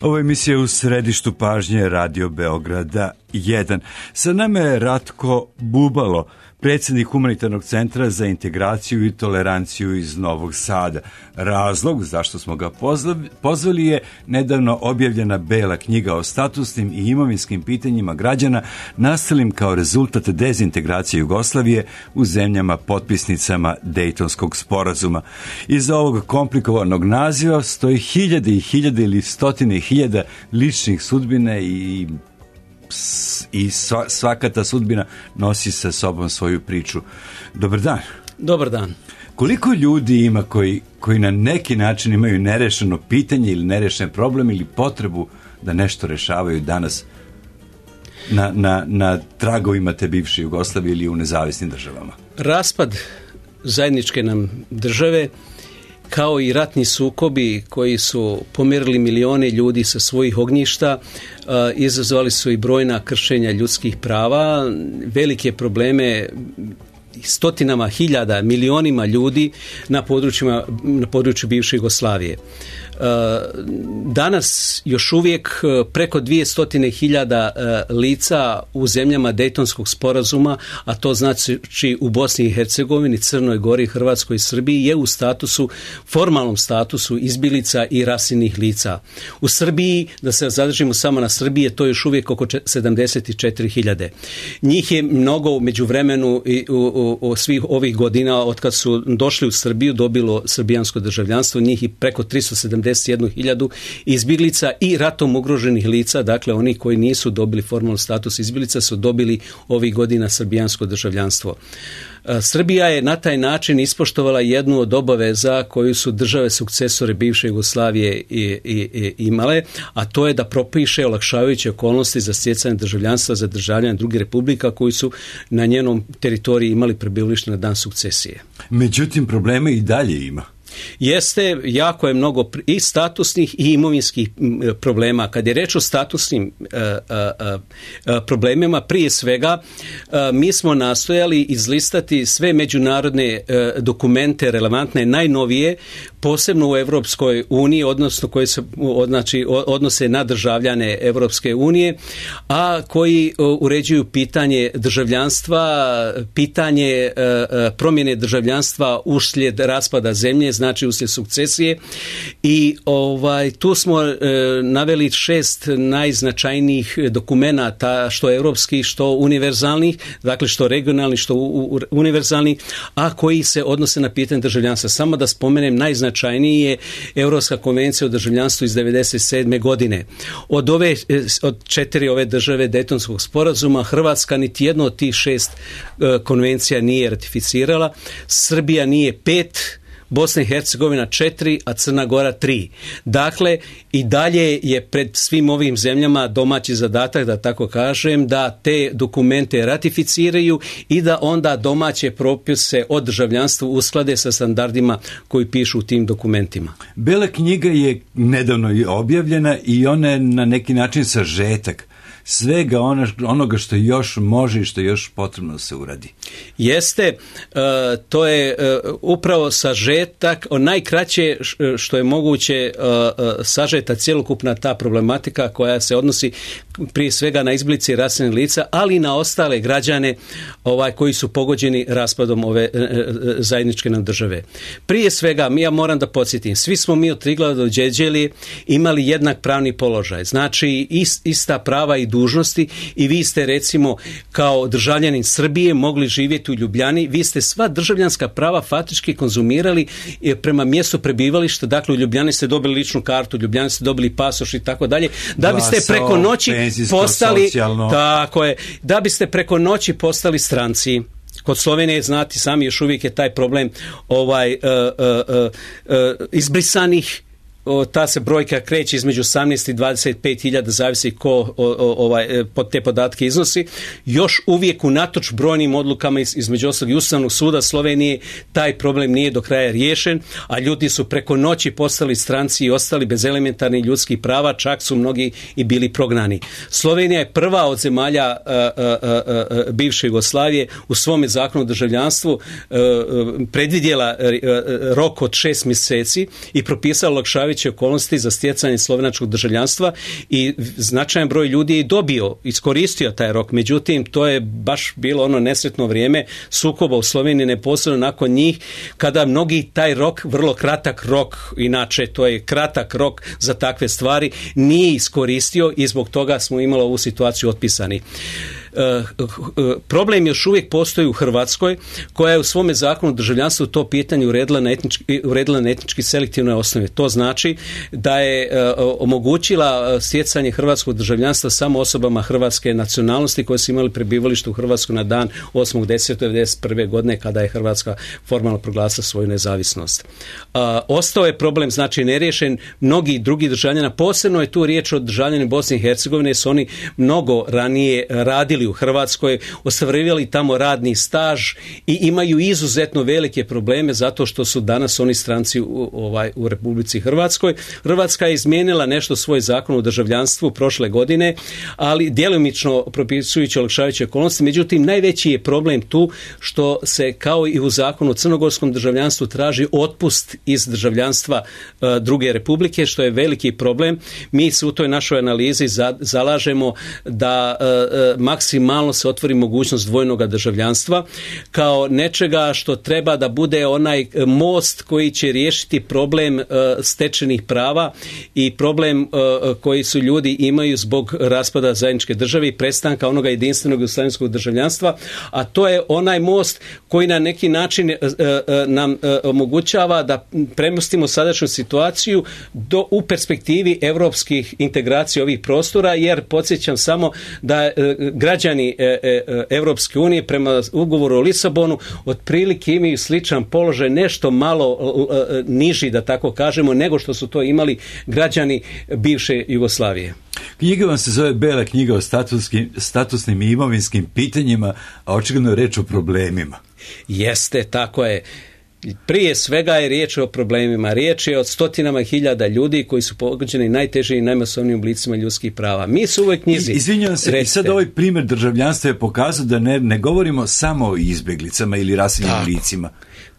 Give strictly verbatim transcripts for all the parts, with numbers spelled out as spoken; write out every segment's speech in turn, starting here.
Ovo je emisija U središtu pažnje Radio Beograda jedan. Sa nama je Ratko Bubalo, predsjednik Humanitarnog centra za integraciju i toleranciju iz Novog Sada. Razlog zašto smo ga pozvali je nedavno objavljena Bela knjiga o statusnim i imovinskim pitanjima građana nastalim kao rezultat dezintegracije Jugoslavije u zemljama potpisnicama Dejtonskog sporazuma. Iza ovog komplikovanog naziva stoji hiljade i hiljade ili stotine hiljada ličnih sudbina i i svaka ta sudbina nosi sa sobom svoju priču. Dobar dan. Dobar dan. Koliko ljudi ima koji, koji na neki način imaju nerešeno pitanje ili nerešen problem ili potrebu da nešto rešavaju danas na, na, na tragovima te bivše Jugoslavije ili u nezavisnim državama? Raspad zajedničke nam države, kao i ratni sukobi koji su pomjerili milione ljudi sa svojih ognjišta, izazvali su i brojna kršenja ljudskih prava, velike probleme stotinama hiljada, milionima ljudi na područjima, na području bivše Jugoslavije. Danas još uvijek preko dvije stotine hiljada lica u zemljama Dejtonskog sporazuma, a to znači u Bosni i Hercegovini, Crnoj Gori, Hrvatskoj i Srbiji, je u statusu, formalnom statusu izbjeglica i raseljenih lica. U Srbiji, da se zadržimo samo na Srbiji, to je još uvijek oko sedamdeset četiri hiljade. Njih je mnogo u međuvremenu i u, u, u svih ovih godina od kad su došli u Srbiju dobilo srbijansko državljanstvo, njih i preko tristo sedamdeset jednu hiljadu izbjeglica i ratom ugroženih lica, dakle oni koji nisu dobili formalni status izbjeglica su dobili ovih godina srbijansko državljanstvo. Srbija je na taj način ispoštovala jednu od obaveza koju su države sukcesore bivše Jugoslavije i, i, i imale, a to je da propiše olakšavajuće okolnosti za stjecanje državljanstva za državljane drugih republika koji su na njenom teritoriji imali prebivalište na dan sukcesije. Međutim, probleme i dalje ima. Jeste, jako je mnogo i statusnih i imovinskih problema. Kad je reč o statusnim uh, uh, uh, problemima, prije svega uh, mi smo nastojali izlistati sve međunarodne uh, dokumente relevantne, najnovije, posebno u Europskoj uniji, odnosno koje se znači, odnose na državljane Europske unije, a koji uh, uređuju pitanje državljanstva, pitanje uh, promjene državljanstva uslijed raspada zemlje, znači uslijed sukcesije, i ovaj tu smo e, naveli šest najznačajnijih dokumenata, što europskih, što univerzalnih, dakle što regionalnih, što u, u, univerzalnih, a koji se odnose na pitanje državljanstva. Samo da spomenem, najznačajniji je Europska konvencija o državljanstvu iz devedeset sedme godine. Od ove od četiri ove države Dejtonskog sporazuma Hrvatska niti jedno od tih šest e, konvencija nije ratificirala, Srbija nije pet, Bosna i Hercegovina četiri, a Crna Gora tri. Dakle, i dalje je pred svim ovim zemljama domaći zadatak, da tako kažem, da te dokumente ratificiraju i da onda domaće propise o državljanstvu usklade sa standardima koji pišu u tim dokumentima. Bela knjiga je nedavno objavljena i ona je na neki način sažetak svega ono, onoga što još može i što još potrebno da se uradi. Jeste, uh, to je uh, upravo sažetak, najkraće što je moguće uh, uh, sažeta cjelokupna ta problematika koja se odnosi prije svega na izblice raseljenih lica, ali i na ostale građane ovaj, koji su pogođeni raspadom ove uh, zajedničke nam države. Prije svega, ja moram da podsjetim, svi smo mi od Triglava do Đeđelije imali jednak pravni položaj, znači ist, ista prava i dužnosti, i vi ste recimo kao državljanin Srbije mogli živjeti u Ljubljani, vi ste sva državljanska prava faktički konzumirali prema mjestu prebivališta, dakle u Ljubljani ste dobili ličnu kartu, u Ljubljani ste dobili pasoš i tako dalje, da biste preko noći postali, socijalno. Tako je, da biste preko noći postali stranci. Kod Slovenije, znati sami, još uvijek je taj problem ovaj uh, uh, uh, uh, izbrisanih. O, ta se brojka kreće između osamnaest i dvadeset pet hiljada, zavisi ko o, o, ovaj, pod te podatke iznosi. Još uvijek unatoč brojnim odlukama iz, između ostalog i Ustavnog suda Slovenije taj problem nije do kraja riješen, a ljudi su preko noći postali stranci i ostali bez elementarnih ljudskih prava, čak su mnogi i bili prognani. Slovenija je prva od zemalja a, a, a, a, bivše Jugoslavije u svome zakonu o državljanstvu a, a, predvidjela a, a, rok od šest mjeseci i propisala olakšavajuće olakšavajuće okolnosti za stjecanje slovenačkog državljanstva i značajan broj ljudi je dobio, iskoristio taj rok. Međutim, to je baš bilo ono nesretno vrijeme sukoba u Sloveniji neposredno nakon njih, kada mnogi taj rok, vrlo kratak rok, inače to je kratak rok za takve stvari, nije iskoristio i zbog toga smo imali ovu situaciju otpisani. Problem još uvijek postoji u Hrvatskoj, koja je u svome zakonu o državljanstvu to pitanje uredila na etnički, uredila na etnički selektivnoj osnovi. To znači da je omogućila stjecanje hrvatskog državljanstva samo osobama hrvatske nacionalnosti koje su imali prebivalište u Hrvatskoj na dan osmog desetog devedeset prve godine kada je Hrvatska formalno proglasila svoju nezavisnost. Ostao je problem, znači neriješen, mnogi drugi državljana, posebno je tu riječ o državljanima Bosne i Hercegovine, su oni mnogo ranije radili u Hrvatskoj, ostvarivali tamo radni staž i imaju izuzetno velike probleme zato što su danas oni stranci u, ovaj, u Republici Hrvatskoj. Hrvatska je izmijenila nešto svoj zakon o državljanstvu prošle godine, ali djelomično propisujući olakšavajuće okolnosti. Međutim, najveći je problem tu što se kao i u zakonu o crnogorskom državljanstvu traži otpust iz državljanstva uh, druge republike, što je veliki problem. Mi se u toj našoj analizi za, zalažemo da uh, uh, maksimalno se otvori mogućnost dvojnog državljanstva kao nečega što treba da bude onaj most koji će riješiti problem uh, stečenih prava i problem uh, koji su ljudi imaju zbog raspada zajedničke države i prestanka onoga jedinstvenog jugoslavenskog državljanstva, a to je onaj most koji na neki način uh, uh, nam uh, omogućava da premostimo sadašnju situaciju do, u perspektivi europskih integracija ovih prostora, jer podsjećam samo da uh, građani Europske unije prema ugovoru o Lisabonu otprilike imaju sličan položaj, nešto malo niži, da tako kažemo, nego što su to imali građani bivše Jugoslavije. Knjiga vam se zove Bela knjiga o statusnim i imovinskim pitanjima, a očigledno je reč o problemima. Jeste, tako je. Prije svega je riječ o problemima. Riječ je o stotinama hiljada ljudi koji su pogođeni najtežim i najmasovnijim oblicima ljudskih prava. Mi su u ovoj knjizi... Izvinjavam se, recite. I sad ovaj primjer državljanstva je pokazao da ne, ne govorimo samo o izbjeglicama ili raseljenim licima.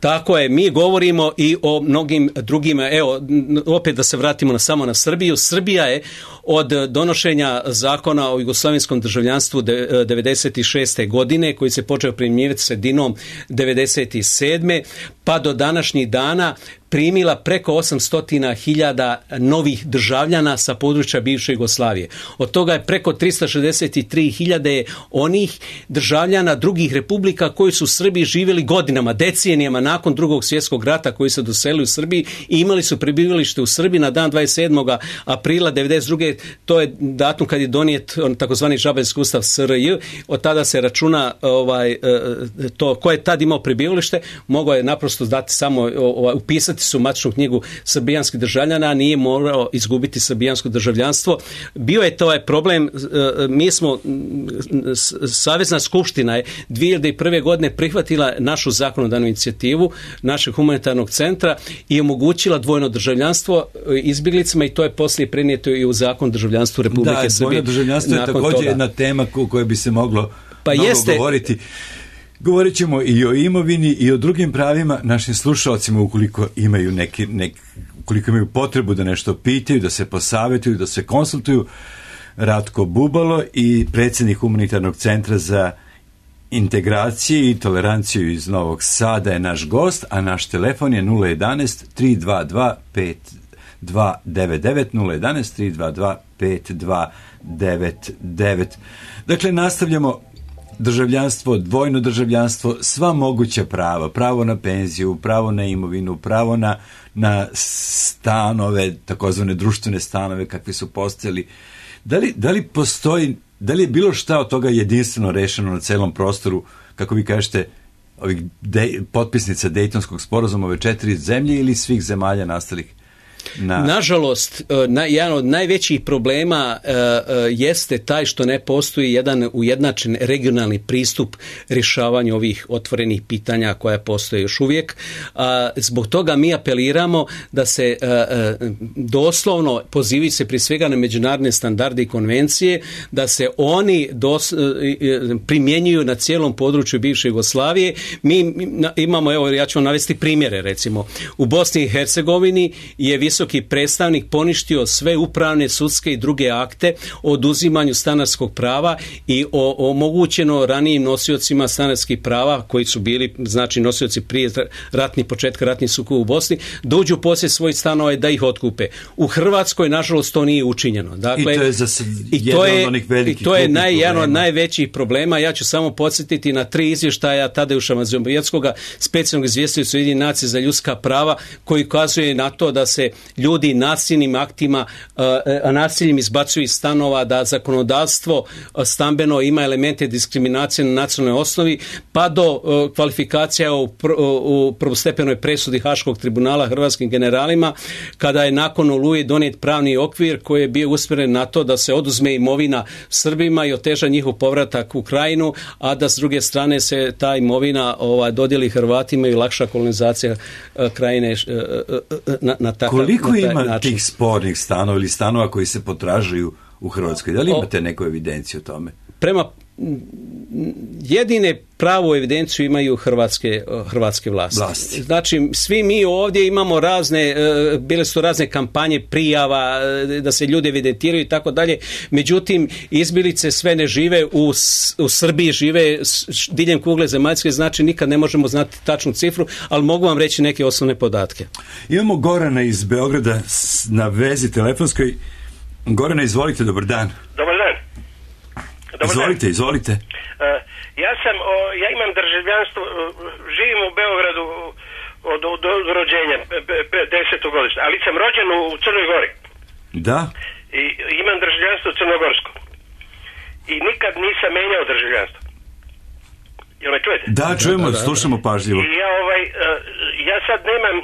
Tako je, mi govorimo i o mnogim drugim, evo, opet da se vratimo na, samo na Srbiju. Srbija je od donošenja zakona o jugoslavenskom državljanstvu devedeset šeste godine, koji se počeo primjenjivati sredinom devedeset sedme pa do današnjih dana primila preko osamsto hiljada novih državljana sa područja bivše Jugoslavije. Od toga je preko tristo šezdeset tri hiljade onih državljana drugih republika koji su u Srbiji živjeli godinama, decenijama nakon drugog svjetskog rata, koji se doselili u Srbiji i imali su prebivalište u Srbiji na dan dvadeset sedmog aprila devedeset druge To je datum kad je donijet takozvani Žabenski ustav S R J. Od tada se računa ovaj, to ko je tad imao prebivalište, mogao je naprosto dati samo ovaj, upisati su u matičnu knjigu srbijanskih državljana, a nije morao izgubiti srbijansko državljanstvo. Bio je to ovaj problem, mi smo, Savezna skupština je dvije hiljade prve godine prihvatila našu zakonodavnu inicijativu našeg humanitarnog centra i omogućila dvojno državljanstvo izbjeglicama i to je poslije prenijeto i u zakon državljanstvu Republike da, Srbije. Da, dvojno državljanstvo je također toga. Jedna tema o kojoj bi se moglo pa mnogo jeste, govoriti. Govorit ćemo i o imovini i o drugim pravima našim slušalcima ukoliko imaju neki, nek, ukoliko imaju potrebu da nešto pitaju, da se posavjetuju, da se konsultuju. Ratko Bubalo i predsjednik Humanitarnog centra za integraciju i toleranciju iz Novog Sada je naš gost, a naš telefon je nula jedanaest tri dva dva pet dva devet devet, nula jedanaest tri dva dva pet dva devet devet. Dakle, nastavljamo državljanstvo, dvojno državljanstvo, sva moguća prava, pravo na penziju, pravo na imovinu, pravo na, na stanove, takozvane društvene stanove kakvi su postojali. Da li, da li postoji, da li je bilo šta od toga jedinstveno rešeno na celom prostoru, kako vi kažete, ovih de, potpisnica Dejtonskog sporazuma ove četiri zemlje ili svih zemalja nastalih? Na... Nažalost, na, jedan od najvećih problema uh, uh, jeste taj što ne postoji jedan ujednačen regionalni pristup rješavanju ovih otvorenih pitanja koja postoje još uvijek. Uh, zbog toga mi apeliramo da se uh, uh, doslovno pozivi se prije svega na međunarodne standarde i konvencije, da se oni dos, uh, primjenjuju na cijelom području bivše Jugoslavije. Mi imamo, evo ja ću vam navesti primjere, recimo u Bosni i Hercegovini je visoki predstavnik poništio sve upravne, sudske i druge akte o oduzimanju stanarskog prava i o, omogućeno ranijim nosiocima stanarskih prava koji su bili, znači nosioci prije ratnih početka ratnih sukoba u Bosni, da uđu u posjed svojih stanova i da ih otkupe. U Hrvatskoj, nažalost, to nije učinjeno. Dakle, i to je za jedan od onih velikih i to je naj, jedan od najvećih problema. Ja ću samo podsjetiti na tri izvještaja Tadeuša Mazovijetskoga, specijalnog izvjestitelja Ujedinjenih nacija za ljudska prava, koji ukazuje na to da se ljudi nasilnim aktima, uh, nasiljem izbacuju iz stanova, da zakonodavstvo stambeno ima elemente diskriminacije na nacionalnoj osnovi, pa do uh, kvalifikacija u, pr, u prvostepenoj presudi Haškog tribunala hrvatskim generalima, kada je nakon Oluje donijet pravni okvir koji je bio usmjeren na to da se oduzme imovina Srbima i oteža njihov povratak u Krajinu, a da s druge strane se ta imovina ova, dodijeli Hrvatima i lakša kolonizacija uh, Krajine uh, na, na takav Koliko na taj ima način. tih spornih stanova ili stanova koji se potražuju u Hrvatskoj? Da li imate neku evidenciju o tome? Prema jedine pravu evidenciju imaju hrvatske, hrvatske vlasti. vlasti. Znači, svi mi ovdje imamo razne, bile su razne kampanje prijava, da se ljudi evidentiraju i tako dalje. Međutim, izbjeglice sve ne žive u, u Srbiji, žive diljem kugle zemaljske, znači nikad ne možemo znati tačnu cifru, ali mogu vam reći neke osnovne podatke. Imamo Gorana iz Beograda na vezi telefonskoj. Gorana, izvolite, dobar dan. Dobar dan. Dobar izvolite, dan. izvolite. Uh, ja sam, o, ja imam državljanstvo, živim u Beogradu od, od, od rođenja, desetogodišnje, ali sam rođen u Crnoj Gori. Da. I imam državljanstvo crnogorsko. I nikad nisam menjao državljanstvo. Jel me čujete? Da, čujemo, da, da, da. Slušamo pažljivo. I ja, ovaj, ja sad nemam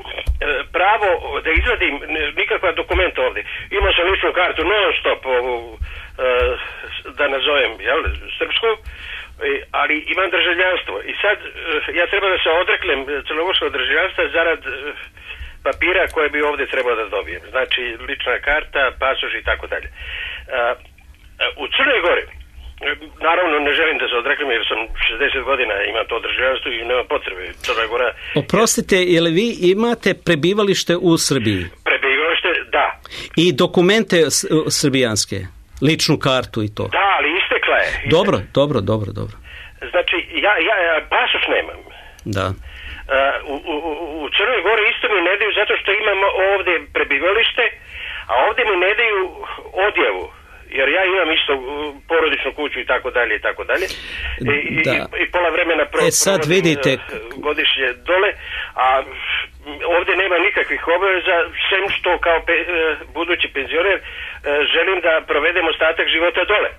pravo da izvadim nikakva dokumenta ovdje. Imao sam ličnu kartu non stop, ovu, da nazovem, jel, srpsku, ali imam državljanstvo. I sad ja treba da se odreknem crnogorskog državljanstva zarad papira koje bi ovdje trebao da dobijem. Znači, lična karta, pasoš i tako dalje. U Crnoj Gori, naravno ne želim da se odreknem jer sam šezdeset godina, imam to državljanstvo i nema potrebe. Crna Gora... Oprostite, je li vi imate prebivalište u Srbiji? Prebivalište, da. I dokumente srbijanske? Ličnu kartu i to? Da, ali istekla je. Istekla. Dobro, dobro, dobro, dobro. Znači, ja, ja, ja pasoš nemam. Da. Uh, u, u, u Crnoj Gori isto mi ne daju zato što imam ovdje prebivalište, a ovdje mi ne daju odjavu. Jer ja imam isto porodičnu kuću i tako dalje i tako dalje. I, i, i pola vremena pro, e sad vidite godišnje dole, a ovdje nema nikakvih obaveza, sem što kao pe, budući penzioner želim da provedem ostatak života dole.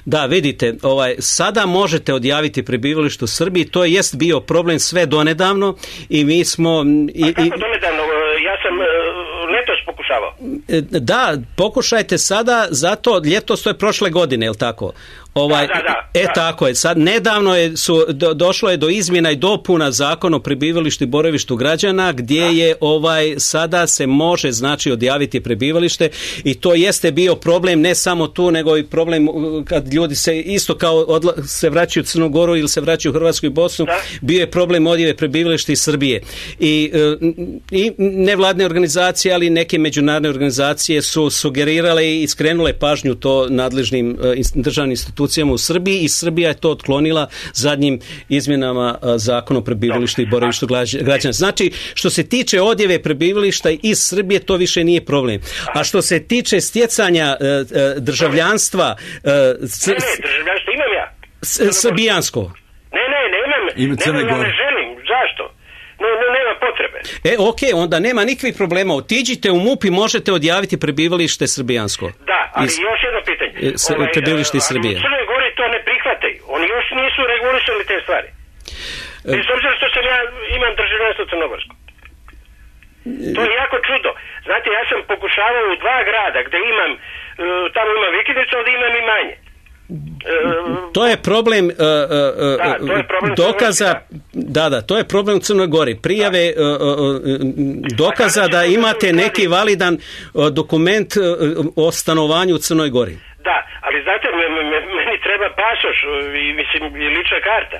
Da, vidite, ovaj, sada možete odjaviti prebivalište u Srbiji, to jest bio problem sve donedavno i mi smo... I, a kako donedavno? Ja sam letos pokušavao. Da, pokušajte sada, zato ljetos to je prošle godine, je li tako? Ovaj, da, da, da, e da. tako je, sad nedavno je, su, do, došlo je do izmjena i dopuna Zakona o prebivalištu i boravištu građana gdje da. je ovaj sada se može znači odjaviti prebivalište i to jeste bio problem ne samo tu nego i problem kad ljudi se isto kao odla, se vraćaju u Crnu Goru ili se vraćaju u Hrvatsku i Bosnu, da. bio je problem odjave prebivališta iz Srbije. I, i nevladne organizacije, ali neke međunarodne organizacije su sugerirale i skrenule pažnju to nadležnim državnim institucijama u Srbiji i Srbija je to otklonila zadnjim izmjenama Zakona o prebivalištu i boravištu građana. Znači, što se tiče odjave prebivališta iz Srbije, to više nije problem. A što se tiče stjecanja državljanstva... Ne, ne, državljanstvo imam ja. Srbijansko. Ne, ne, nemam. Nemam, ja ne želim. Zašto? No, no, nema potrebe. E, okej, okay, onda nema nikakvih problema. Otiđite u M U P i možete odjaviti prebivalište srbijansko. Da, ali Is, još jedno pitanje. S, ovaj, prebivalište iz Srbije. Ali u Crnoj Gori to ne prihvataju. Oni još nisu regulisali te stvari. Bez obzira što sam ja imam državljanstvo crnogorsko. To je jako čudo. Znate, ja sam pokušavao u dva grada gdje imam, tamo imam vikendicu, ovdje imam i manje. To je problem, uh, uh, da, to je problem dokaza, da, da, to je problem u Crnoj Gori. Prijave uh, uh, dokaza da imate neki validan uh, dokument uh, o stanovanju u Crnoj Gori. Da, ali znate, meni treba pasoš i, mislim, i lična karta.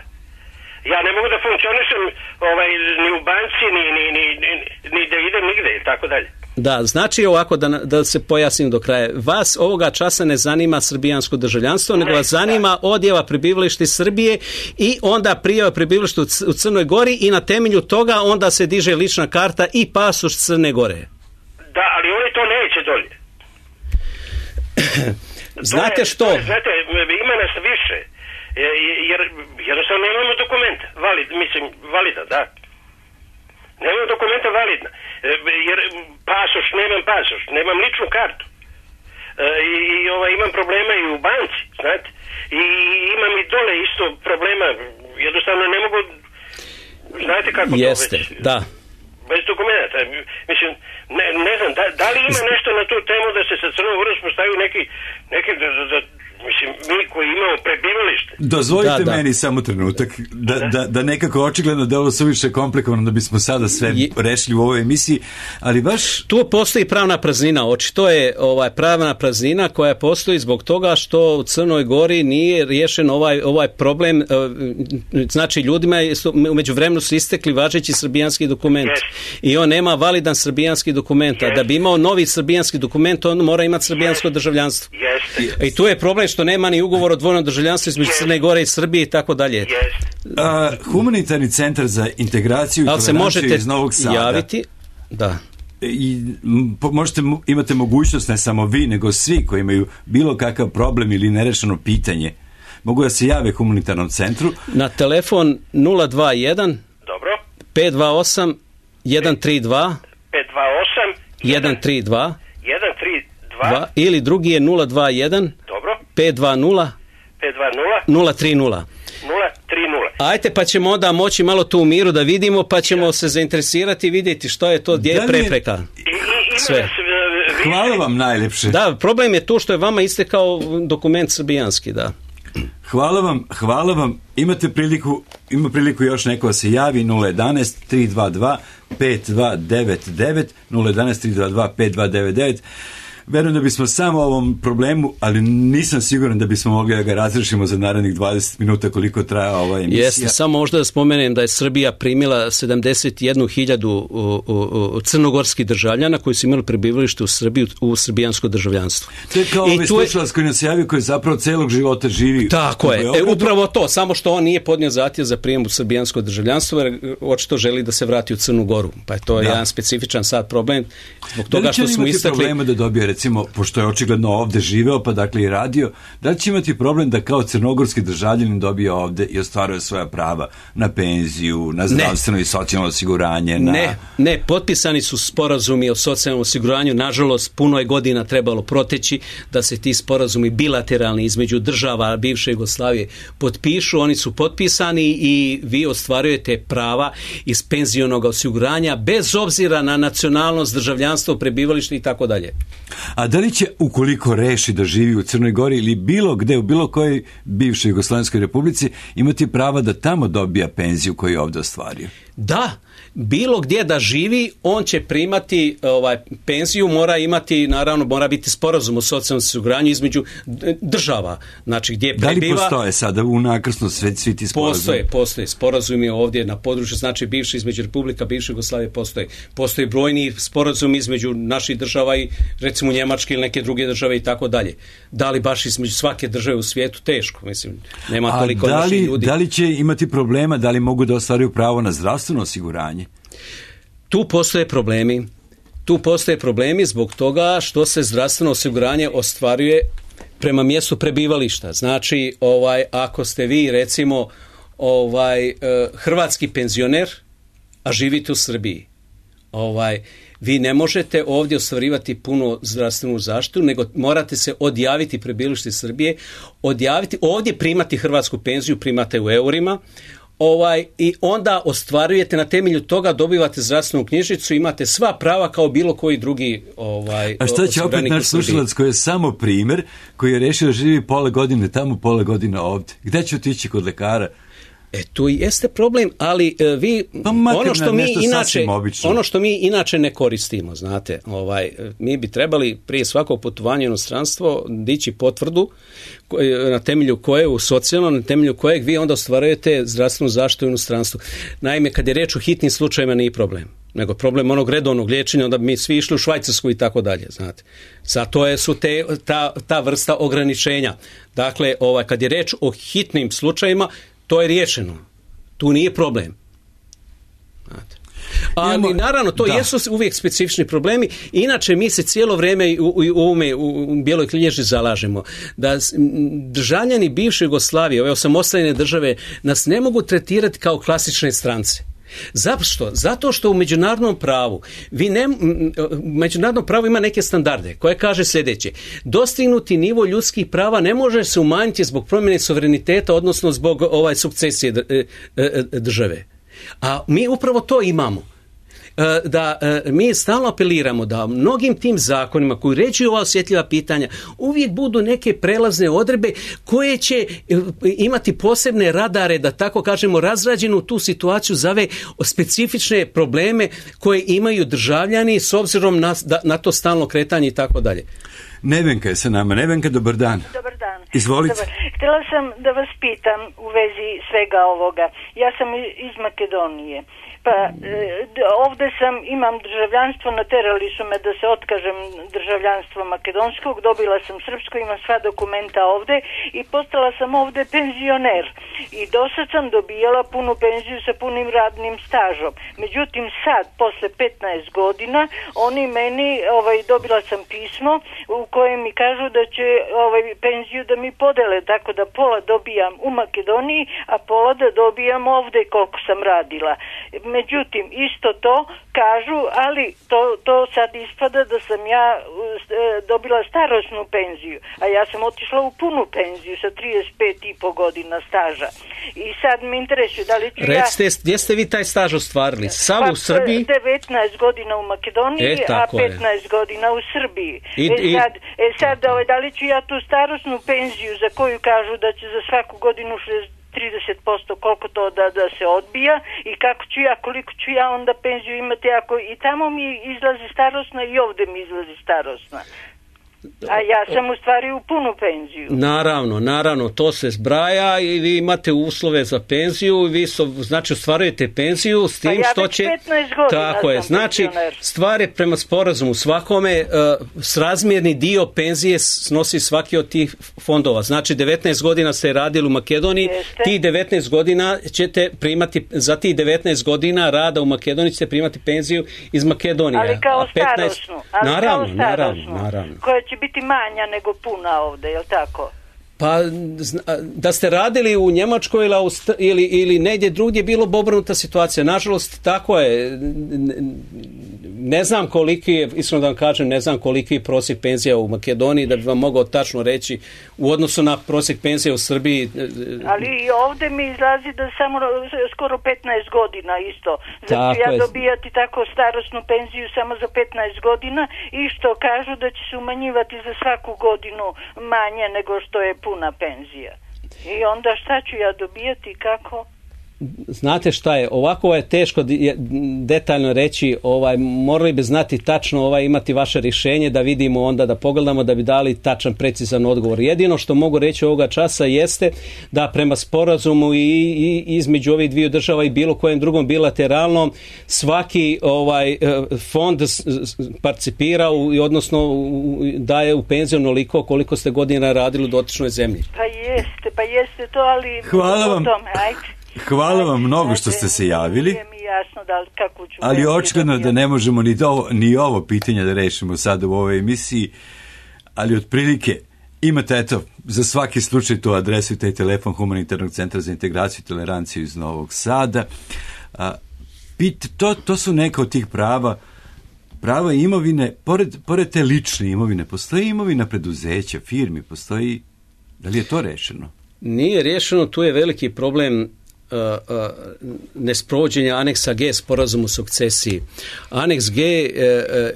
Ja ne mogu da funkcionišem ovaj, ni u banci, ni, ni, ni, ni, ni da idem nigde i tako dalje. Da, znači ovako, da, da se pojasnim do kraja. Vas ovoga časa ne zanima srbijansko državljanstvo, nego vas zanima odjava prebivalište Srbije i onda prijava prebivalište u Crnoj Gori i na temelju toga onda se diže lična karta i pasoš Crne Gore. Da, ali oni to neće dolje. Znate je, što? Je, znate, ima nas više, jer jednostavno nemamo dokumenta, valid, mislim, valida, da. Nemam dokumenta validna, jer pasoš, nemam pasoš, nemam ličnu kartu. I, i ovaj, imam problema i u banci, znate. I imam i dole isto problema, jednostavno ne mogu, znate kako Jeste, to već. Da. Bez dokumenta. Mislim, ne, ne znam, da, da li ima nešto na tu temu da se sa Crnom Gorom postavio neki, neki da, da, mislim, mi koji imamo prebivalište. Dozvolite da, da. meni samo trenutak, da, da, da nekako očigledno da ovo suviše komplikovano da bismo sada sve Je... rešili u ovoj emisiji, ali baš... Tu postoji pravna praznina, očito je ovaj, pravna praznina koja postoji zbog toga što u Crnoj Gori nije riješen ovaj, ovaj problem, znači ljudima su, umeđu vremenu su istekli važeći srbijanski dokument yes. i on nema validan srbijanski dokument, a yes. da bi imao novi srbijanski dokument, on mora imati srbijansko yes. državljanstvo. Yes. I tu je problem što nema ni ugovor o dvojnom državljanstvu između yes. Crne Gore i Srbije i tako dalje. Yes. Humanitarni centar za integraciju i toleranciju iz Novog Sada. Javiti, da. I možete, imate mogućnost, ne samo vi, nego svi koji imaju bilo kakav problem ili nerešeno pitanje, mogu da se jave humanitarnom centru. Na telefon nula dva jedan Dobro. pet dva osam jedan tri dva pet dva osam jedan tri dva jedan tri dva ili drugi je nula dva jedan Dobro. pet dva nula pet dva nula nula tri nula nula tri nula. Ajte, pa ćemo onda moći malo tu u miru da vidimo, pa ćemo se zainteresirati i vidjeti što je to, gdje je prepreka. Sve. Hvala vam najljepše. Da, problem je tu što je vama istekao dokument srbijanski, da. Hvala vam, hvala vam. Imate priliku, ima priliku još neko da se javi nula jedan tri dva dva pet dva devet devet nula jedan tri dva dva pet dva devet devet. Verujem da bismo samo o ovom problemu, ali nisam siguran da bismo mogli da ga razrešimo za narednih dvadeset minuta koliko traja ova emisija. Jeste, samo možda da spomenem da je Srbija primila sedamdeset jednu hiljadu crnogorskih državljana koji su imali prebivalište u Srbiji u srbijansko državljanstvo. To je kao ovaj slušalac koji nas javio, koji zapravo celog života živi. Tako je, e, upravo to, samo što on nije podnio zahtjev za prijem u srbijansko državljanstvo, jer očito želi da se vrati u Crnu Goru. Pa je to da. jedan specifičan sad problem. Zbog toga što smo istakli... da dobije, recimo, pošto je očigledno ovde živeo, pa dakle i radio, da li će imati problem da kao crnogorski državljanin dobije ovde i ostvaruje svoja prava na penziju, na zdravstveno ne. i socijalno osiguranje? Na... Ne, ne, potpisani su sporazumi o socijalnom osiguranju, nažalost, puno je godina trebalo proteći da se ti sporazumi bilateralni između država bivše Jugoslavije potpišu, oni su potpisani i vi ostvarujete prava iz penzionog osiguranja bez obzira na nacionalnost, državljanstvo, prebivalište i tako dalje. A da li će, ukoliko reši da živi u Crnoj Gori ili bilo gde, u bilo kojoj bivšoj Jugoslovenskoj republici, imati prava da tamo dobija penziju koju je ovde ostvario? Da, bilo gdje da živi, on će primati ovaj, penziju, mora imati, naravno, mora biti sporazum o socijalnom osiguranju između država. Znači, gdje prebiva... Da li postoje sada u nakrsno sve, svi ti sporazumi? Postoje, postoje. Sporazumi ovdje na području, znači, bivše između Republika, bivše Jugoslavije postoje. Postoje brojni sporazumi između naših država i, recimo, Njemačke ili neke druge države i tako dalje. Da li baš između svake države u svijetu? Teško, mislim. Nema toliko da li, naših ljudi. Da li će imati problema, da li mogu da ostvaruju pravo na zdravstveno osiguranje? Tu postoje problemi. Tu postoje problemi zbog toga što se zdravstveno osiguranje ostvaruje prema mjestu prebivališta. Znači, ovaj, ako ste vi, recimo, ovaj, hrvatski penzioner, a živite u Srbiji, ovaj, vi ne možete ovdje ostvarivati puno zdravstvenu zaštitu, nego morate se odjaviti prebivalište Srbije, odjaviti, ovdje primati hrvatsku penziju, primate u eurima, Ovaj, i onda ostvarujete na temelju toga, dobivate zdravstvenu knjižicu, imate sva prava kao bilo koji drugi ovaj, a šta će opet naš slušalac koji je samo primjer, koji je rešio da živi pola godine tamo, pola godine ovdje? Gde će otići kod lekara? E, to i jeste problem, ali e, vi pa ono što mi inače ono što mi inače ne koristimo, znate, ovaj mi bi trebali prije svakog putovanja u inostranstvo dići potvrdu koje, na temelju koje u socijalno, na temelju kojeg vi onda ostvarujete zdravstvenu zaštitu u inostranstvu. Naime, kad je reč o hitnim slučajevima nije problem. nego problem onog redovnog liječenja, onda bi mi svi išli u Švajcarsku i tako dalje, znate. Zato je, su te, ta, ta vrsta ograničenja. Dakle, ovaj, kad je reč o hitnim slučajima, to je riješeno. Tu nije problem. Znate. Ali Imamo, naravno, to da. jesu uvijek specifični problemi. Inače, mi se cijelo vrijeme u, u, ovome, u Bijeloj knjiži zalažemo da državljani bivše Jugoslavije, ove osamostaljene države, nas ne mogu tretirati kao klasične strance. Zašto? Zato što u međunarodnom pravu vi ne, međunarodno pravo ima neke standarde koje kaže sljedeće: dostignuti nivo ljudskih prava ne može se umanjiti zbog promjene suvereniteta, odnosno zbog ovaj sukcesije države. A mi upravo to imamo. Da mi stalno apeliramo da mnogim tim zakonima koji uređuju ova osjetljiva pitanja uvijek budu neke prelazne odredbe koje će imati posebne radare, da tako kažemo, razrađenu tu situaciju za ove specifične probleme koje imaju državljani s obzirom na, na to stalno kretanje i tako dalje. Nevenka je sa nama. Nevenka, dobar dan. Dobar dan. Izvolite. Dobar. Htjela sam da vas pitam u vezi svega ovoga. Ja sam iz Makedonije. Pa e, ovdje sam, imam državljanstvo, naterali su me da se otkažem državljanstva makedonskog, dobila sam srpsko, imam sva dokumenta ovdje i postala sam ovdje penzioner. I dosad sam dobijala punu penziju sa punim radnim stažom. Međutim, sad, posle petnaest godina, oni meni, ovaj, dobila sam pismo u kojem mi kažu da će ovaj, penziju da mi podele, tako da pola dobijam u Makedoniji, a pola da dobijam ovdje koliko sam radila. Međutim, isto to kažu, ali to, to sad ispada da sam ja e, dobila starosnu penziju, a ja sam otišla u punu penziju sa trideset pet i po godina staža. I sad me interesuje da li ću Recite, ja... gdje ste vi taj staž ostvarili? Sam pa, u Srbiji? devetnaest godina u Makedoniji, e, a petnaest je. godina u Srbiji. I, e sad, e sad ovaj, da li ću ja tu starosnu penziju za koju kažu da će za svaku godinu trideset posto koliko to da, da se odbija i kako ću ja, koliko ću ja onda penziju imati ako i tamo mi izlazi starosna i ovdje mi izlazi starosna. A ja sam u stvari u punu penziju. Naravno, naravno, to se zbraja i vi imate uslove za penziju i vi so, znači ostvarujete penziju s tim pa ja što će... Tako je, znači stvar je prema sporazumu svakome uh, srazmjerni dio penzije snosi svaki od tih fondova. Znači devetnaest godina ste radili u Makedoniji, Jeste. Ti devetnaest godina ćete primati, za tih devetnaest godina rada u Makedoniji ćete primati penziju iz Makedonije. Ali kao petnaest... starosnu. Ali naravno, kao naravno, naravno. Koja će biti manja nego puna ovdje, je li tako? Pa da ste radili u Njemačkoj ili, ili, ili negdje drugdje bilo bi obrnuta situacija. Nažalost, tako je. Ne znam koliki je, iskreno da vam kažem, ne znam koliki je prosjek penzija u Makedoniji, da bi vam mogao tačno reći u odnosu na prosjek penzija u Srbiji. Ali i ovdje mi izlazi da samo skoro petnaest godina isto. Znači ja je. dobijati tako starosnu penziju samo za petnaest godina i što kažu da će se umanjivati za svaku godinu manje nego što je puna penzija. I onda šta ću ja dobijati i kako? Znate šta je, ovako je teško detaljno reći, ovaj, morali bi znati tačno, ovaj, imati vaše rješenje da vidimo onda, da pogledamo da bi dali tačan, precizan odgovor. Jedino što mogu reći ovoga časa jeste da prema sporazumu i, i između ovih dviju država i bilo kojem drugom bilateralnom svaki ovaj fond participira u, odnosno u, daje u penziju onoliko koliko ste godina radili u dotičnoj zemlji. Pa jeste, pa jeste to, ali... Hvala vam. Hvala vam mnogo što ste se javili, jasno da, kako ću ali očigledno da ne možemo ni, do, ni ovo pitanje da rešimo sada u ovoj emisiji, ali otprilike imate, eto, za svaki slučaj tu adresu i taj telefon Humanitarnog centra za integraciju i toleranciju iz Novog Sada. A, pit, to, to su neka od tih prava, prava imovine, pored, pored te lične imovine, postoji imovina preduzeća, firmi, postoji, da li je to rešeno? Nije rješeno, tu je veliki problem uh, uh, nesprovođenja aneksa G sporazumu o sukcesiji. Aneks G uh,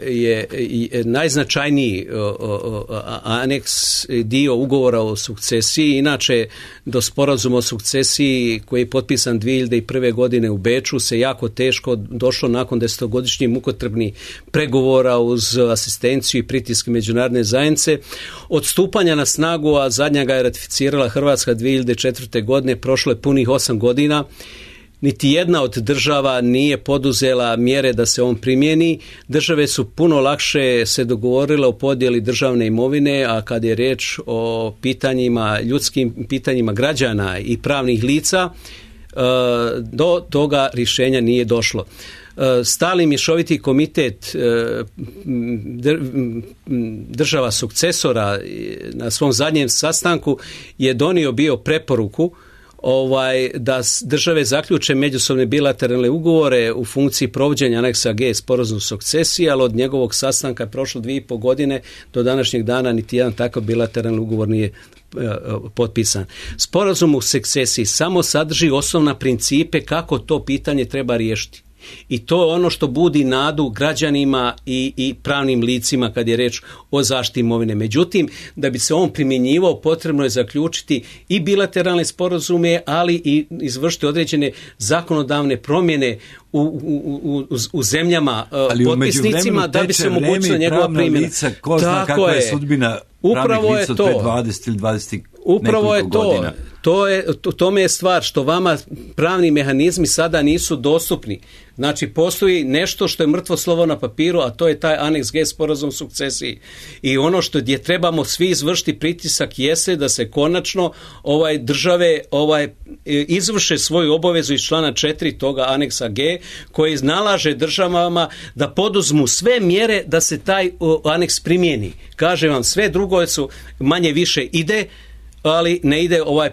je, je najznačajniji uh, uh, aneks dio ugovora o sukcesiji. Inače, do sporazuma o sukcesiji koji je potpisan dvije hiljade prve. godine u Beču se jako teško došlo nakon desetogodišnjih mukotrpnih pregovora uz asistenciju i pritiske međunarodne zajednice. Od stupanja na snagu, a zadnja ga je ratificirala Hrvatska dvije hiljade četvrte. godine, prošlo je punih osam godina. niti jedna od država nije poduzela mjere da se on primjeni. Države su puno lakše se dogovorile o podjeli državne imovine, a kad je riječ o pitanjima, ljudskim pitanjima građana i pravnih lica, do toga rješenja nije došlo. Stalni mješoviti komitet država sukcesora na svom zadnjem sastanku je donio bio preporuku ovaj, da države zaključe međusobne bilateralne ugovore u funkciji provođenja aneksa G sporazum sukcesije, ali od njegovog sastanka je prošlo dvije i pol godine, do današnjeg dana niti jedan takav bilateralni ugovor nije potpisan. Sporazum u sukcesiji samo sadrži osnovna principe kako to pitanje treba riješiti. I to je ono što budi nadu građanima i, i pravnim licima kad je reč o zaštiti imovine. Međutim, da bi se on primjenjivao, potrebno je zaključiti i bilateralne sporazume, ali i izvršiti određene zakonodavne promjene u, u, u, u zemljama ali potpisnicima da bi se omogućila njegova primjena. Lica, ko zna kakva je sudbina upravo pravnih lica od pre dvadeset ili dvadeset Upravo je to. Godina. To je, to, tome je stvar što vama pravni mehanizmi sada nisu dostupni. Znači, postoji nešto što je mrtvo slovo na papiru, a to je taj aneks G sporazum sukcesiji. I ono što gdje trebamo svi izvršiti pritisak jeste da se konačno ovaj države ovaj izvrše svoju obavezu iz člana četiri toga aneksa G, koji nalaže državama da poduzmu sve mjere da se taj aneks primijeni. Kažem vam, sve drugo su manje više ide, ali ne ide ovaj,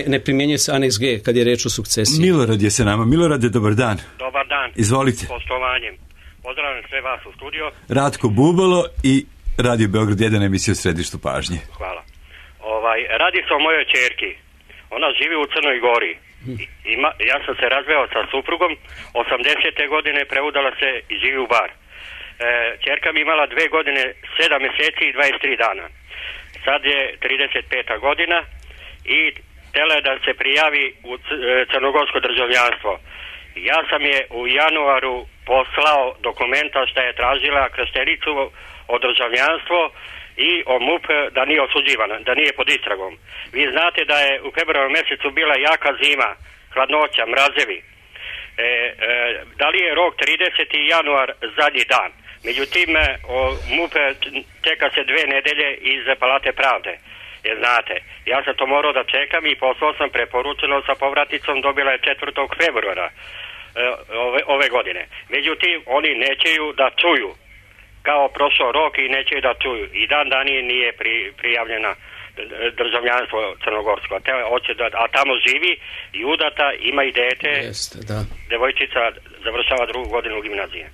ne primjenjuje se aneks G kad je reč o sukcesiji. Milorad je sa nama. Milorade, dobar dan. Dobar dan. Izvolite. Poštovanjem. Pozdravljam sve vas u studio. Ratko Bubalo i Radio Beograd jedan, emisija u središtu pažnje. Hvala. Ovaj, radi se o mojoj ćerki. Ona živi u Crnoj Gori. Ima, ja sam se razveo sa suprugom, osamdesete godine preudala se i živi u Bar. E, ćerka mi imala dve godine, sedam mjeseci i dvadeset tri dana. Sad je trideset peta godina i htjela je da se prijavi u crnogorsko državljanstvo. Ja sam je u januaru poslao dokumenta što je tražila krštenicu o državljanstvo i o M U P da nije osuđivana, da nije pod istragom. Vi znate da je u februaru mjesecu bila jaka zima, hladnoća, mrazevi. E, e, da li je rok trideseti januar zadnji dan? Međutim, M U P čeka se dve nedelje iz Palate pravde. Jer znate, ja sam to morao da čekam i poslao sam preporučeno sa povraticom, dobila je četvrtog februara ove, ove godine. Međutim, oni nećeju da čuju, kao prošao rok i nećeju da čuju. I dan danije nije pri, prijavljena državljanstvo crnogorsko. A, te, da, a tamo živi i udata, ima i dete, Jeste, da. devojčica završava drugu godinu gimnazije.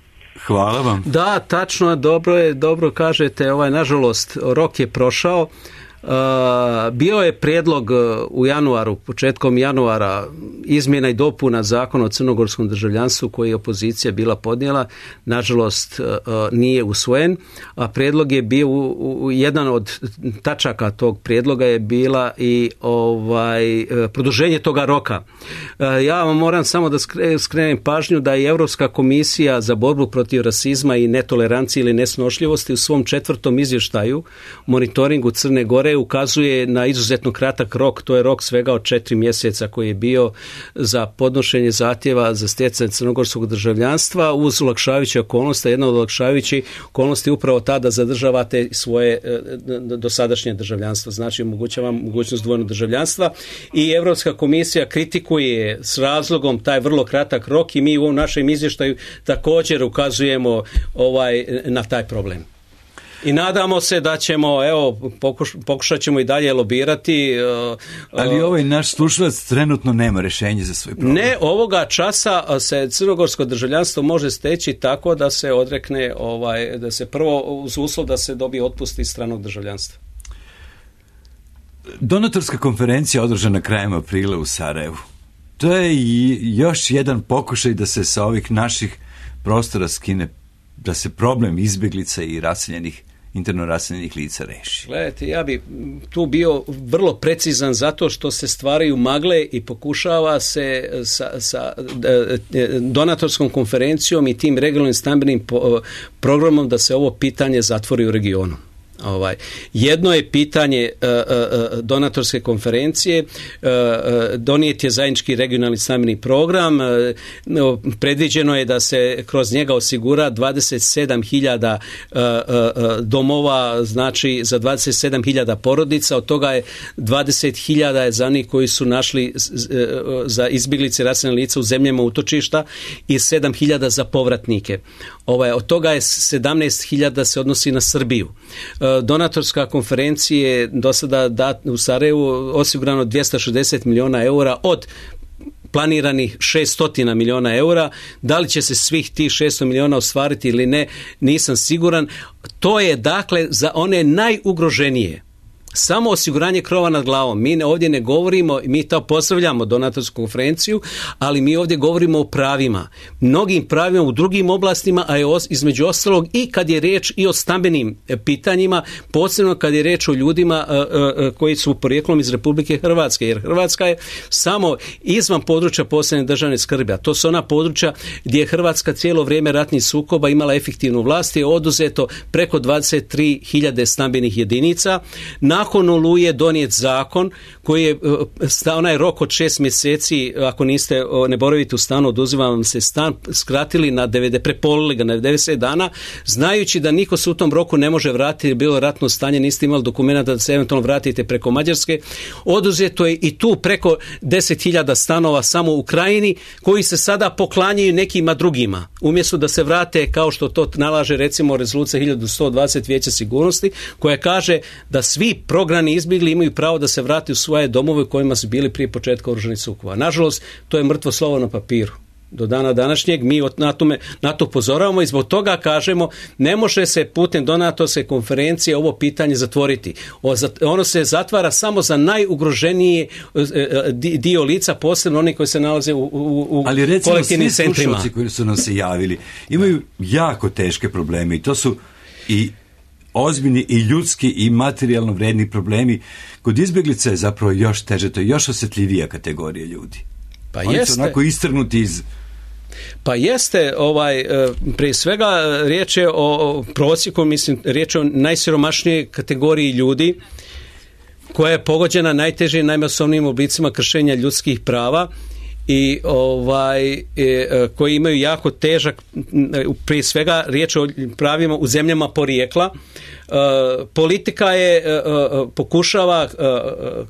Hvala vam. Da, tačno, dobro je, dobro kažete, ovaj, nažalost, rok je prošao. Uh, bio je prijedlog u januaru, početkom januara, izmjena i dopuna zakona o crnogorskom državljanstvu koji je opozicija bila podnijela, nažalost uh, nije usvojen, a prijedlog je bio u, u, jedan od tačaka tog prijedloga je bila i ovaj produženje toga roka. Uh, ja vam moram samo da skrenem pažnju da je Europska komisija za borbu protiv rasizma i netolerancije ili nesnošljivosti u svom četvrtom izvještaju monitoringu Crne Gore ukazuje na izuzetno kratak rok, to je rok svega od četiri mjeseca koji je bio za podnošenje zahtjeva za stjecanje crnogorskog državljanstva uz olakšavajuće okolnosti. Jedna od olakšavajućih okolnosti je upravo ta da zadržavate svoje dosadašnje državljanstvo, znači omogućava mogućnost dvojnog državljanstva i Europska komisija kritikuje s razlogom taj vrlo kratak rok i mi u ovom našem izvještaju također ukazujemo ovaj, na taj problem. I nadamo se da ćemo, evo, pokuš, pokušat ćemo i dalje lobirati. Uh, Ali ovaj naš slušalac trenutno nema rješenje za svoj problem. Ne, ovoga časa se crnogorsko državljanstvo može steći tako da se odrekne, ovaj, da se prvo uz uslov da se dobije otpust iz stranog državljanstva. Donatorska konferencija održana krajem aprila u Sarajevu. To je i još jedan pokušaj da se sa ovih naših prostora skine, da se problem izbjeglica i raseljenih, interno raseljenih lica reši. Gledajte, ja bi tu bio vrlo precizan zato što se stvaraju magle i pokušava se sa, sa donatorskom konferencijom i tim regionalnim stambenim programom da se ovo pitanje zatvori u regionu. Ovaj, jedno je pitanje uh, uh, donatorske konferencije, uh, uh, donijet je zajednički regionalni stambeni program, uh, no, predviđeno je da se kroz njega osigura dvadeset sedam hiljada uh, uh, domova, znači za dvadeset sedam hiljada porodica, od toga je dvadeset hiljada je za onih koji su našli uh, za izbjeglice raseljenih lica u zemljama utočišta i sedam hiljada za povratnike. Ovaj, od toga je sedamnaest hiljada se odnosi na Srbiju. Donatorska konferencija je do sada dat, u Sarajevu osigurano dvjesto šezdeset milijuna eura od planiranih šesto milijuna eura. Da li će se svih tih šesto milijuna ostvariti ili ne, nisam siguran. To je dakle za one najugroženije. Samo osiguranje krova nad glavom. Mi ovdje ne govorimo, mi to pozdravljamo donatorsku konferenciju, ali mi ovdje govorimo o pravima. Mnogim pravima u drugim oblastima, a je između ostalog i kad je riječ i o stambenim pitanjima, posebno kad je riječ o ljudima koji su porijeklom iz Republike Hrvatske, jer Hrvatska je samo izvan područja posebne državne skrbi, a to su ona područja gdje je Hrvatska cijelo vrijeme ratnih sukoba imala efektivnu vlast, je oduzeto preko dvadeset tri hiljade stambenih jedinica. Nakon Oluje donijet zakon koji je onaj rok od šest mjeseci, ako niste, ne boravite u stanu, oduzima vam se stan, skratili na devedeset, prepolili ga na devedeset dana, znajući da niko se u tom roku ne može vratiti, bilo ratno stanje, niste imali dokumenta da se eventualno vratite preko Mađarske. Oduzeto je i tu preko deset hiljada stanova samo u Krajini, koji se sada poklanjaju nekima drugima, umjesto da se vrate kao što to nalaže recimo rezolucija hiljadu sto dvadeset Vijeća sigurnosti, koja kaže da svi prognani izbjegli imaju pravo da se vrati u svoje domove u kojima su bili prije početka oružanih sukoba. Nažalost, to je mrtvo slovo na papiru. Do dana današnjeg mi na, tome, na to upozoravamo i zbog toga kažemo ne može se putem donatorske konferencije ovo pitanje zatvoriti. Ono se zatvara samo za najugroženiji dio lica, posebno oni koji se nalaze u, u, u ali recimo, kolektivnim centrima. Ali recimo svi slušalci koji su nam se javili imaju jako teške probleme i to su i ozbiljni i ljudski i materijalno vredni problemi. Kod izbjeglica je zapravo još teže, to je još osjetljivija kategorija ljudi. Pa oni jeste. su onako istrgnuti iz... Pa jeste, ovaj, prije svega riječ je o prosjeku, mislim, riječ je o najsiromašnijoj kategoriji ljudi koja je pogođena najtežim, najmasovnijim oblicima kršenja ljudskih prava i ovaj e, koji imaju jako težak, prije svega riječ o pravima u zemljama porijekla. E, politika je e, pokušava e,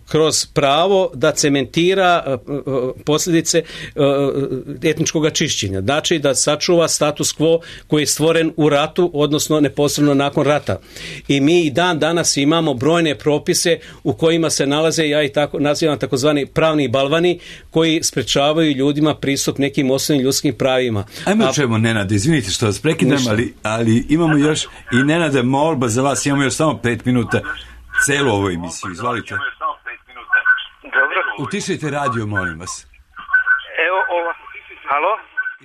kroz pravo da cementira e, posljedice e, etničkog čišćenja, znači da sačuva status quo koji je stvoren u ratu, odnosno neposredno nakon rata. I mi i dan danas imamo brojne propise u kojima se nalaze, ja ih tako nazivam takozvani pravni balvani, koji sprečavaju ljudima pristup nekim osnovnim ljudskim pravima. Ajmo A... čujemo, Nenade, izvinite što vas prekidam, ali, ali imamo još i Nenade molba za vas, imamo još samo pet minuta celu ovu emisiju, izvolite. Dobro. Utišajte radio, molim vas. Evo, ova, halo?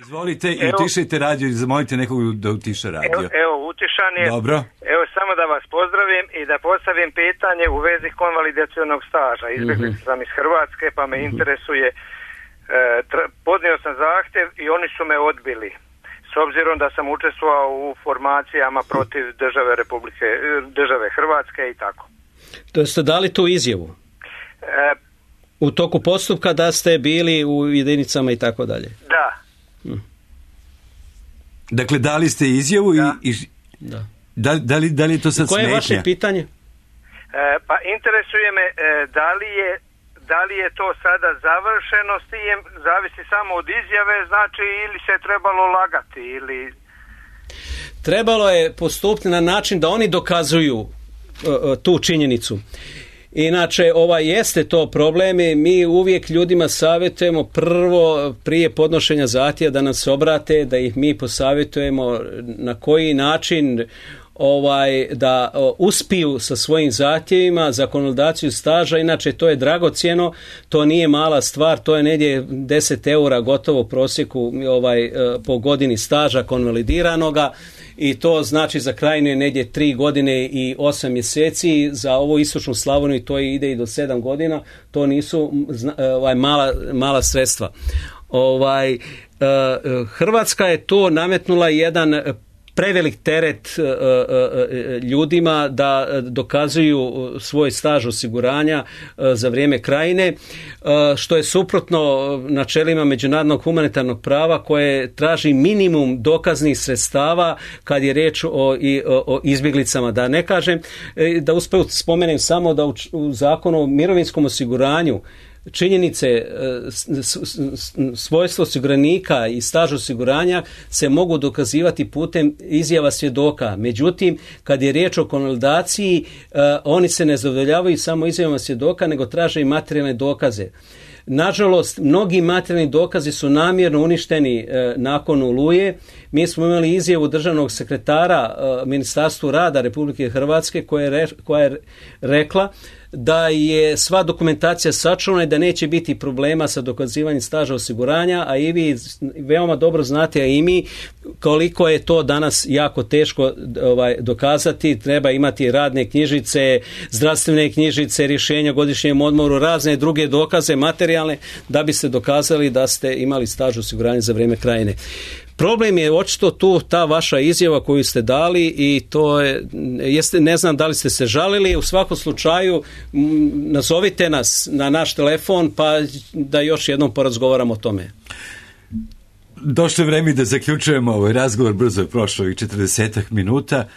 Izvolite i utišajte radio i zamolite nekog da utiša radio. Evo, evo utišan je. Dobro. Evo, samo da vas pozdravim i da postavim pitanje u vezi konvalidacionog staža. Izbjegli mm-hmm. sam iz Hrvatske, pa me mm-hmm. interesuje. E, tra, podnio sam zahtjev i oni su me odbili. S obzirom da sam učestvovao u formacijama protiv države Republike, države Hrvatske i tako. To ste dali tu izjavu? E, u toku postupka da ste bili u jedinicama i tako dalje? Da. Hm. Dakle, dali ste izjavu da. i... i da. Da, da, li, da li je to sad smetnja? Koje je vaše pitanje? E, pa interesuje me e, da li je da li je to sada završeno s tim, zavisi samo od izjave, znači, ili se trebalo lagati ili... Trebalo je postupiti na način da oni dokazuju uh, tu činjenicu. Inače, ovaj jeste to problem i mi uvijek ljudima savjetujemo prvo prije podnošenja zahtjeva da nas obrate, da ih mi posavjetujemo na koji način ovaj da o, uspiju sa svojim zahtjevima za konvalidaciju staža. Inače, to je dragocjeno, to nije mala stvar, to je negdje deset eura gotovo u prosjeku ovaj, po godini staža konvalidiranoga. I to znači za Krajinu je negdje tri godine i osam mjeseci, za ovu istočnu Slavoniju to ide i do sedam godina, to nisu ovaj, mala, mala sredstva. Ovaj, Hrvatska je to nametnula jedan prevelik teret ljudima da dokazuju svoj staž osiguranja za vrijeme krajine, što je suprotno načelima međunarodnog humanitarnog prava koje traži minimum dokaznih sredstava kad je riječ o, o, o izbjeglicama. Da ne kažem, da usput spomenem samo da u, u zakonu o mirovinskom osiguranju činjenice, svojstvo osiguranika i staž osiguranja se mogu dokazivati putem izjava svjedoka. Međutim, kad je riječ o konvalidaciji, oni se ne zadovoljavaju samo izjavama svjedoka, nego traže i materijalne dokaze. Nažalost, mnogi materijalni dokazi su namjerno uništeni e, nakon Oluje. Mi smo imali izjavu državnog sekretara e, Ministarstvu rada Republike Hrvatske koja je, re, koja je rekla da je sva dokumentacija sačuvana i da neće biti problema sa dokazivanjem staža osiguranja, a i vi veoma dobro znate, a i mi, koliko je to danas jako teško ovaj, dokazati. Treba imati radne knjižice, zdravstvene knjižice, rješenja o godišnjem odmoru, razne druge dokaze materijalne da biste dokazali da ste imali staž osiguranja za vrijeme krajine. Problem je očito tu ta vaša izjava koju ste dali i to je, jeste, ne znam da li ste se žalili, u svakom slučaju m, nazovite nas na naš telefon pa da još jednom porazgovaramo o tome. Došlo je vreme da zaključujemo ovaj razgovor, brzo je prošlo i četrdesetak minuta.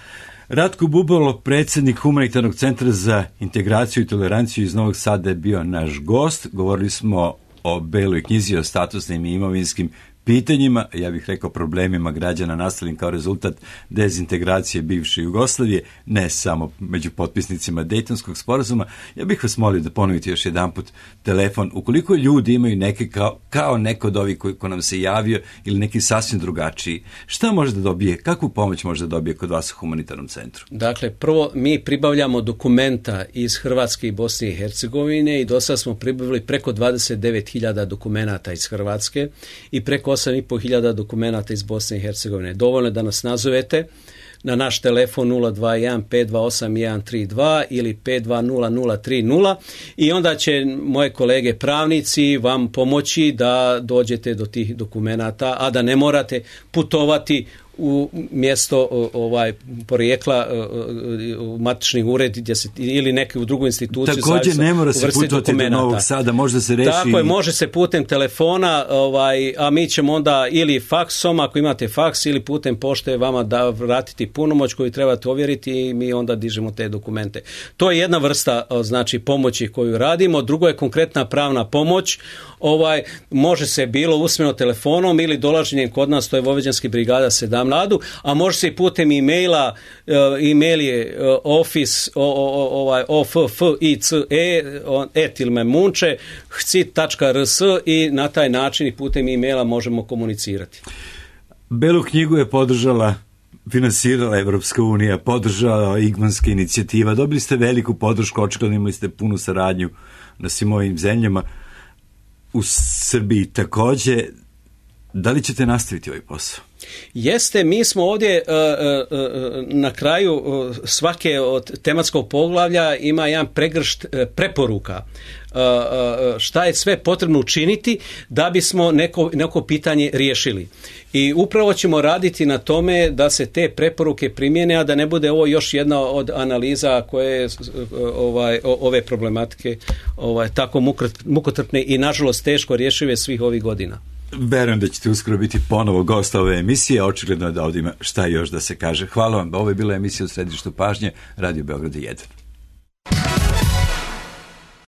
Ratko Bubalo, predsjednik Humanitarnog centra za integraciju i toleranciju iz Novog Sada je bio naš gost. Govorili smo o beloj knjizi, o statusnim i imovinskim pitanjima, ja bih rekao problemima građana nastalim kao rezultat dezintegracije bivše Jugoslavije, ne samo među potpisnicima Dejtonskog sporazuma. Ja bih vas molio da ponovite još jedanput telefon. Ukoliko ljudi imaju neke kao, kao neko od ovih koji ko nam se javio ili neki sasvim drugačiji, šta može da dobije, kakvu pomoć može da dobije kod vas u Humanitarnom centru? Dakle, prvo mi pribavljamo dokumenta iz Hrvatske i Bosne i Hercegovine i do sada smo pribavili preko dvadeset devet hiljada dokumenata iz Hrvatske i preko osam i po hiljada dokumenata iz Bosne i Hercegovine. Dovoljno je da nas nazovete na naš telefon nula dva jedan pet dva osam jedan tri dva ili pet dva nula nula tri nula i onda će moje kolege pravnici vam pomoći da dođete do tih dokumenata, a da ne morate putovati u mjesto ovaj porijekla u matični ured gdje se, ili neki u drugu instituciju. Također ne mora se putovati do Novog Sada, može se reši. Tako je, može se putem telefona, ovaj, a mi ćemo onda ili faksom, ako imate faks, ili putem pošte vama da vratiti punomoć koju trebate ovjeriti i mi onda dižemo te dokumente. To je jedna vrsta znači pomoći koju radimo. Drugo je konkretna pravna pomoć. Ovaj, može se bilo usmeno telefonom ili dolaženjem kod nas, to je Vojvođanski brigada sedam Ladu, a može se i putem e-maila, uh, e-mail je uh, office o, o, ovaj office et ili munče hcit tačka rs i na taj način i putem e-maila možemo komunicirati. Belu knjigu je podržala, finansirala Evropska unija, podržala Igmanska inicijativa, dobili ste veliku podršku, očigledno imali ste punu saradnju na svim ovim zemljama. U Srbiji također, da li ćete nastaviti ovaj posao? Jeste, mi smo ovdje uh, uh, na kraju uh, svake od tematskog poglavlja ima jedan pregršt uh, preporuka uh, uh, šta je sve potrebno učiniti da bismo neko, neko pitanje riješili. I upravo ćemo raditi na tome da se te preporuke primjene, a da ne bude ovo još jedna od analiza koje ovaj, ove problematike ovaj, tako mukotrpne i nažalost teško rješive svih ovih godina. Verujem da ćete uskoro biti ponovo gost ove emisije, očigledno da ovdje ima šta još da se kaže. Hvala vam, ovo je bila emisija u središtu pažnje, Radio Beograd jedan.